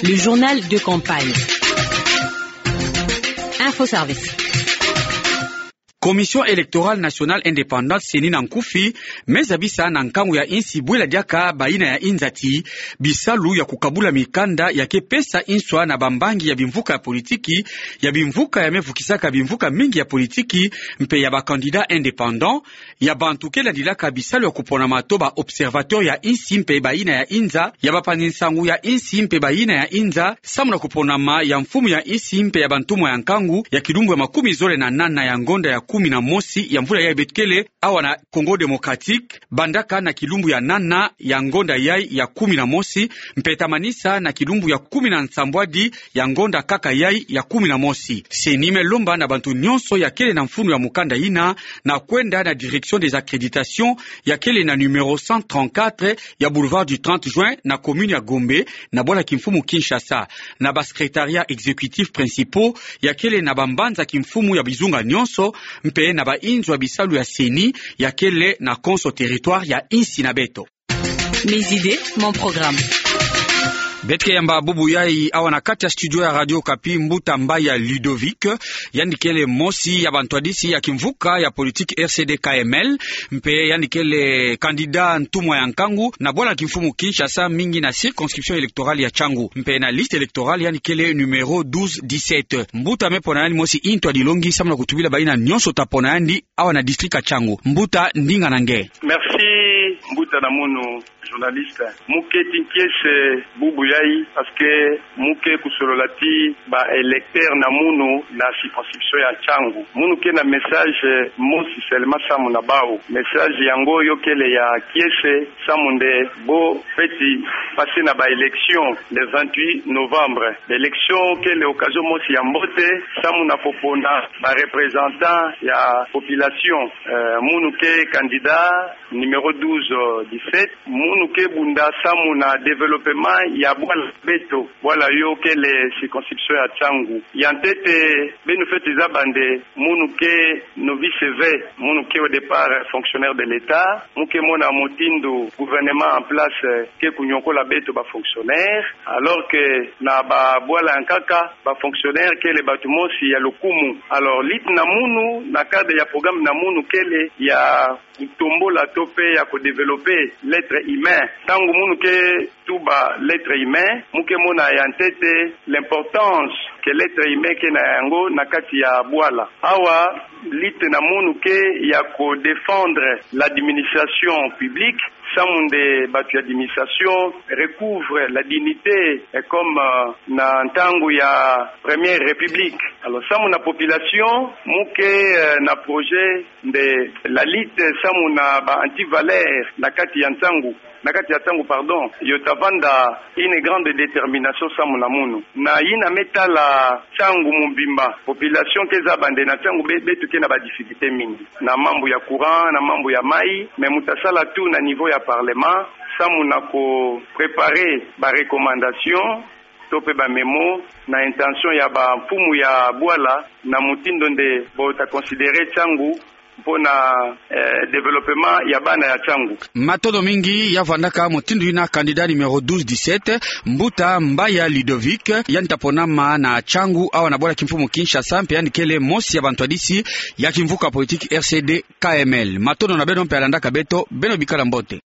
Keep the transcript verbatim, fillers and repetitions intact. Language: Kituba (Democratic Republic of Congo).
Le journal de campagne. Info Service. Commission électorale nationale indépendante, CENI na nkufi, me zabisa na nkangu ya insi bwela diaka bayina ya inzati bisalu ya kukabula mikanda ya ke pesa inswa na bambangi ya bimvuka ya politiki, ya bimvuka ya me vukisaka bimvuka mingi ya politiki, mpe ya ba candidats indépendants, ya bantu ke landilaka bisalu ya kuponama to ba observateurs ya insi mpe bayina ya inza, ya bapanzi nsangu ya insi mpe bayina ya inza, samu na kuponama ya mfumu ya insi mpe ya bantumwa ya nkangu ya kilumbu ya makumi zole na nana ya ngonda ya kumi na mosi ya mvula yayi beto kele awa na Congo Démocratique, bandaka na kilumbu ya nana ya ngonda yayi ya kumi na mosi, mpe tamanisa na kilumbu ya kumi na nsambwadi ya ngonda kaka yayi ya kumi na mosi. CENI me lomba na bantu nyonso ya kele na mfunu ya mukanda yina na kwenda na direction des accréditations ya kele na numéro cent trente-quatre ya boulevard du trente juin na commune ya Gombe, na bwala kimfumu Kinshasa, na ba secrétariats exécutifs principaux ya kele na bambanza kimfumu ya bizunga nyonso, mpe na bainzo ya bisalu ya CENI ya kele na konso territoire ya insi na beto. Mes idées, mon programme. Beto ke yamba bubu yayi awa na kati ya studio ya Radio Okapi mbuta Mbaya Ludovic, yandi kele mosi ya bantwadisi ya kimvuka ya politique R C D K M L, mpe yandi kele candidat ntumwa ya nkangu na bwala kimfumu Kinshasa, mingi na circonscription électorale ya Tshangu, mpe na liste électorale yandi kele numéro douze dix-sept. Mbuta me pona yandi mosi ntwadi longi samu na kutubila bayina nyonso ta pona yandi awa na district ya Tshangu. Mbuta, ndinga na nge. Merci, mbuta na munu journaliste. Mu ke ti nkiese bubu yayi, parce que mu ke kusolola ti ba électeurs na munu na circonscription ya Tshangu. Munu ke na message mosi seulement samu na bawu. Message yango yo kele ya kiese, samu nde bo fweti passer na ba élections le vingt-huit novembre. Élection kele occasion mosi ya mbote samu na popona ba représentants ya population. Euh, munu ke candidat numéro douze dix-sept, munu ke bunda samu na développement ya bwala beto, bwala yo kele circonscription ya Tshangu. Ya ntete, beno fweti zaba nde munu ke novice V, munu ke au départ fonctionnaire de l'État, mu ke mona mutindu gouvernement en place, euh, ke kunyokola beto ba fonctionnaires, alors que na ba bwala ya nkaka, ba fonctionnaires kele bantu mosi ya lukumu. Alors, lutte na munu, na cadre ya programme na munu kele ya kutombola to pe ya kudévelopper l'être humain. Tangu munu ke tuba l'être humain, mu ke mona ya ntete l'importance que l'être humain ke na yango na kati ya bwala. Awa, lutte na munu ke ya kudéfendre l'administration publique, samu nde bantu ya administration recouvre la dignité, eh, comme, euh, na ntangu ya Première République. Alors, samu na population, mu ke, euh, na projet nde la lutte samu na ba antivaleurs na kati ya Tshangu, na kati ya Tshangu, pardon, yo ta vanda une grande détermination samu na munu. Na yina me tala Tshangu mobimba, population ke zaba nde na Tshangu be-, beto ke na ba difficultés mingi. Na mambu ya courant, na mambu ya mayi, mais mu ta sala tout na niveau ya parlement, samu na kupréparer ba recommandations, to pe ba mémos, na intention ya ba mfumu ya bwala, na mutindu nde bo ta considérer Tshangu mpo na, eh, développement ya bana ya Tshangu. Matondo mingi, ya vandaka mutindu yina candidat numéro douze dix-sept, mbuta Mbaya Ludovic, yandi ta ponama na Tshangu awa na bwala kimfumu Kinshasa, mpe yandi kele mosi ya bantwadisi ya kimvuka politique R C D K M L. Matondo na beno mpe landaka beto, beno bikala mbote.